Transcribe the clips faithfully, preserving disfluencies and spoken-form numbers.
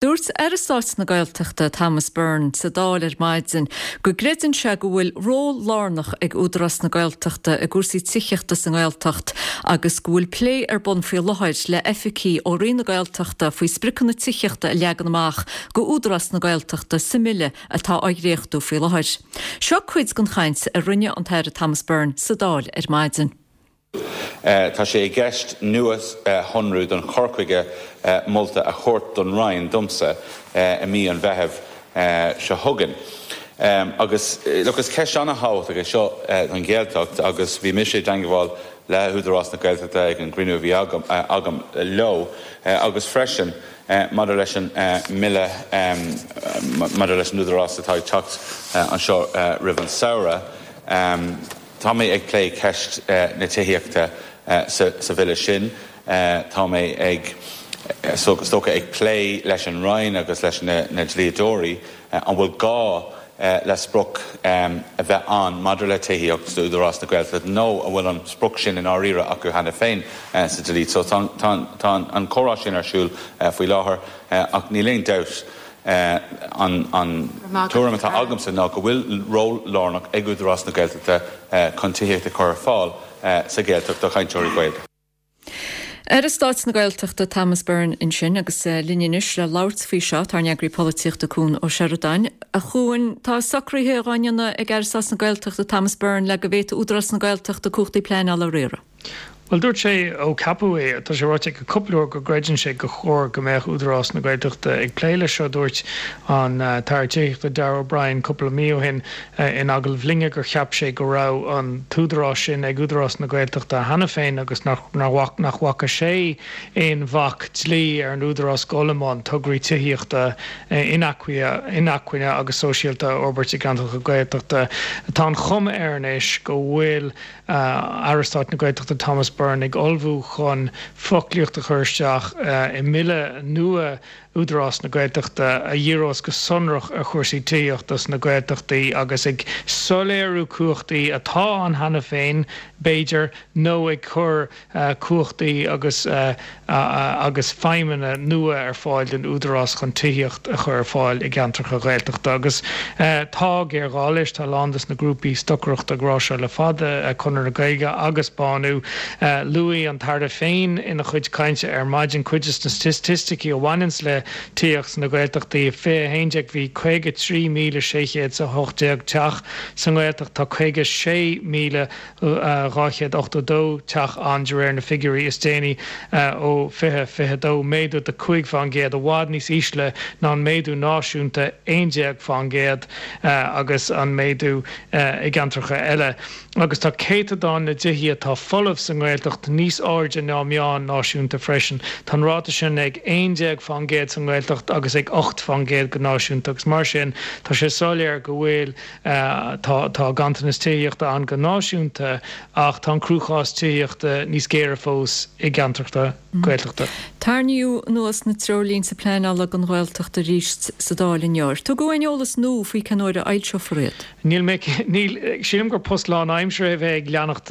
Dúirt Aire Stáit na Gaeltachta Thomas Byrne sa Dáil ar maidin go gcreideann sé go bhfuil ról lárnach ag Údarás na Gaeltachta i gcúrsaí tithíochta sa nGaeltacht agus go bhfuil plé ar bun faoi láthair le oifigigh ó Roinn na Gaeltachta faoi spriocanna tithíochta a leagan amach go Údarás na Gaeltachta sa mbille atá á dhréachtú faoi láthair. Seo cuid den chaint a rinne an tAire Thomas Byrne sa Dáil ar maidin. Tá sé i gceist nuashonrú don chur chuige molta a thabhairt don Roinn domsa i mí an Mheithimh seo chugainn. Agus look, is ceist an-thábhachtach é seo don Ghaeltacht agus bhí mise i dteagmháil le hÚdarás na Gaeltachta ag an gcruinniú a bhí agam, agam leo agus freisin maidir leis an mbille maidir leis an Údarás atá ag teacht anseo roimh an samhradh. Tá mé ag plé ceist na tithíochta sa bhille sin. Tá mé ag is dócha ag plé leis an Roinn agus leis na dlíodóirí an bhfuil gá le sprioc a bheith ann maidir le tithíocht d'Údarás na Gaeltachta nó an bhfuil an sprioc sin i ndáiríre acu cheana féin sa dlí. So tá tá an comhrá sin ar siúl faoi láthair ach níl aon dabht an an tuairim atá agamsa ná go bhfuil ról lárnach ag Údarás na Gaeltachta chun tithíocht a chur ar fáil sa Ghaeltacht do chainteoirí Gaeilge. Aire Stáit na Gaeltachta Thomas Byrne ansin agus linn anois le labhairt faoi seo tá ár n-eagraí polaitíochta Cuan Ó Seireadáin. A Chuain, tá socruithe á ndéanamh ag Aire Stáit na Gaeltachta Thomas Byrne le go bhféadfadh Údarás na Gaeltachta cumhachtaí pleanála a riaradh. Bhuel dúirt sé ó ceapadh é, tá sé ráite aige cúpla uair go gcreideann sé go chóir go mbeadh Údarás na Gaeltachta ag plé leis seo. Dúirt an tAire Tithíochta Darragh O'Brien cúpla mí ó shin in agallamh linne gur cheap sé go raibh an t-údarás sin ag Údarás na Gaeltachta cheana féin agus nach nach bhfaca sé aon bhac dlí ar an údarás dul i mbun tograí tithíochta inacmhainne agus sóisialta a fhorbairt i gceantracha Gaeltachta. Tá an chuma air anois go bhfuil Aire Stáit na Gaeltachta Thomas Byrne ag ullmhú chun foclaíocht a chur isteach i mbille nua Údarás na Gaeltachta a dhíreos go sonrach ar chúrsaí tithíochta sna Gaeltachtaí agus ag soiléiriú cumhachtaí atá ann cheana féin, b'fhéidir, nó ag cur cumhachtaí agus agus feidhmeanna nua ar fáil don Údarás chun tithíocht a chur ar fáil i gceantracha Ghaeltachta. Agus tá géarghá leis, tá a lán dos na grúpaí stocaireachta ag rá seo le fada, Conradh na Gaeilge agus Bánú. Luaigh an tAire féin ina chuid cainte ar maidin cuid de na staitisticí a bhaineanns le tithíocht sna Gaeltachtaí. fiche a haon déag bhí caoga trí míle sé chéad is a hocht déag teach sa nGaeltacht, tá caoga sé míle dhá chéad ochtó dó teach ann de réir na figiúirí is déanaí ó fiche fiche dó, méadú de cúig faoin gcéad, i bhfad níos ísle ná an méadú náisiúnta aon déag faoin gcéad agus an méadú i gceantracha eile. Agus tá céatadán na dtithe atá folamh sa nGaeltacht níos airde ná meán náisiúnta freisin. Tá an ráta sin ag aon déag faoin gcéad sa nGaeltacht agus ag ocht faoin gcéad go náisiúnta agus mar sin tá sé soiléir go bhfuil tá tá ganntanas tithíochta ann go náisiúnta ach tá an cruachás tithíochta níos géire fós i gceantracha Gaeltachta. Tarraingíodh anuas na treoirlínte pleanála don Ghaeltacht arís sa Dáil inniu. Ar tugadh aon eolas nua faoi cén uair a fhoilseofar iad? Níl mé, níl, sílim gur post lánaimseartha é bheith ag leanacht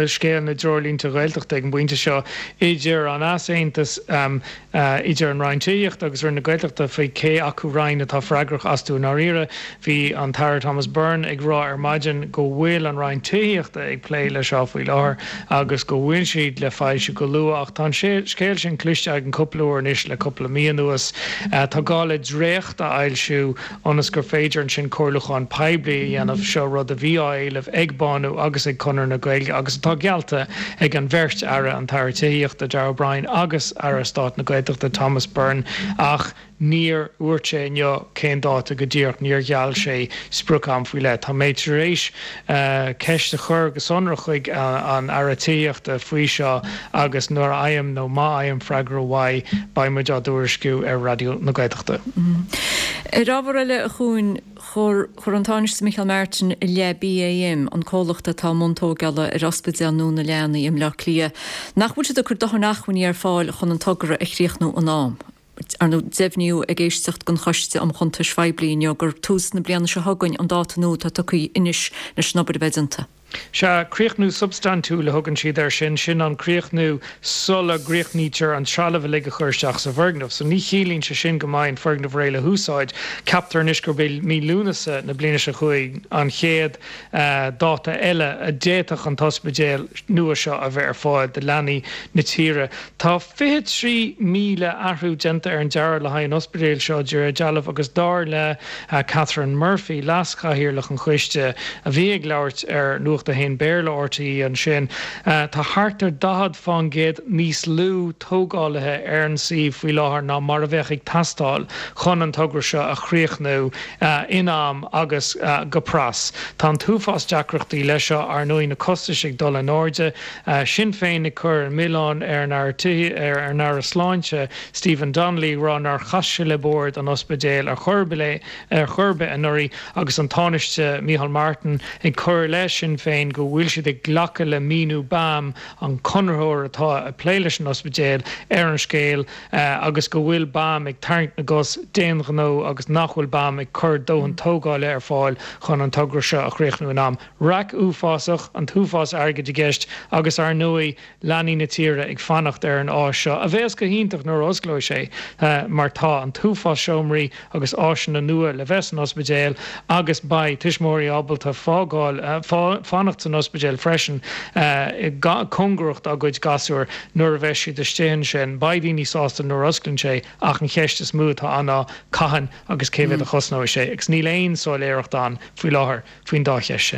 scéal na dtreoirlínte Gaeltachta ag an bpointe seo idir an easaontas idir an Roinn Tithíochta agus Roinn na Gaeltachta faoi cé acu roinn atá freagrach astu i ndáiríre. Bhí an tAire Thomas Byrne ag rá ar maidin go bhfuil an Roinn Tithíochta ag plé leis seo faoi láthair agus go bhfuil siad le foilsiú go luath ach tá an scéal sin cloiste againn cúpla uair anois le cúpla mí anuas. Tá gá le dréacht a fhoilsiú ionas gur féidir ansin comhairliúchán poiblí a dhéanamh, seo rud a bhí á éileamh ag Bánú agus ag Conradh na Gaeilge agus atá geallta ag an bheirt aire, an tAire Tithíochta Darragh O'Brien agus Aire Stáit na Gaeltachta Thomas Byrne ach níor dhúirt sé inniu cén dáta go díreach, níor gheall sé sprioc-am faoi leith. Tá mé tar éis ceist a chur go sonrach chuig an Aire Tithíochta faoi seo agus nuair a fhaighim nó má fhaighim freagra uaidh beidh muid á dtuairisciú ar Raidió na Gaeltachta. Ar ábhar eile, a Chuain, chuir an Tánaiste Micheál Martin i leith BAM, an comhlacht atá i mbun tógála ar ospidéal nua na leanaí i mBleá Cliath, nach bhfuil siad ag cur dóthain acmhainní ar fáil chun an togra a chríochnú in am. Ar ndóigh, deimhníodh ag éisteacht den Choiste um Chuntais Phoiblí inniu gur tús na bliana seo chugainn an dáta nua atá tugtha anois leis an obair a bheith déanta. Sea, críochnú substaintiúil a thugann siad air sin, sin an críochnú sula gcríochnaítear an trealamh uilig a chur isteach sa bhfoirgneamh. So ní chiallaíonn sé sin go mbeidh an foirgneamh réidh le húsáid. Ceaptar anois gurb é mí Lúnasa na bliana seo chugainn an chéad dáta eile a d'fhéadfadh an t-ospidéal nua seo a bheith ar fáil do leanaí na tíre. Tá fiche trí míle athrú déanta ar an dearadh le haghaidh an ospidéil seo, de réir dealraimh, agus dar le Catherine Murphy, leas-chathaoirleach an choiste, a bhí ag labhairt ar Nuacht a hAon Béarla R T E ansin, tá thart ar daichead fán gcéad níos lú tógálaithe ar an suíomh faoi láthair ná mar a bheadh ag teastáil chun an togra seo a chríochnú in am agus go pras. Tá an t-uafás deacrachtaí leis seo, ar ndóigh, na costais ag dul in airde, Sinn Féin ag cur an milleán ar an Aire ar an Aire Sláinte Stephen Donnelly, ag rá nár chas sé le bord an ospidéil ar chor ar chor ar bith anuraidh, agus an Tánaiste Micheál Martin ag cur i leith Sinn Féin go bhfuil siad ag glacadh le míniú B A M, an conraitheoir atá ag plé leis an ospidéal, ar an scéal agus go bhfuil B A M ag tarraingt na gcos d'aon ghnó agus nach bhfuil B A M ag cur dóthain tógála ar fáil chun an togra seo a chríochnú in am. Raic uafásach, an t-uafás airgid i gceist agus ar ndóigh leanaí na tíre ag fanacht ar an áis seo, a bheas go hiontach nuair a osclóidh sé mar tá an t-uafás seomraí agus áiseanna nua le bheith san ospidéal agus beidh tuismitheoirí ábalta fágáil fanacht san ospidéal freisin cóngarach dá gcuid gasúr nuair a bheas siad istigh ansin. Beidh daoine sásta nuair a osclaíonn sé ach an cheist is mó atá ann ná cathain agus cé mhéad a chosnóidh sé, agus níl aon soiléireacht ann faoi láthair faoin dá cheist sin.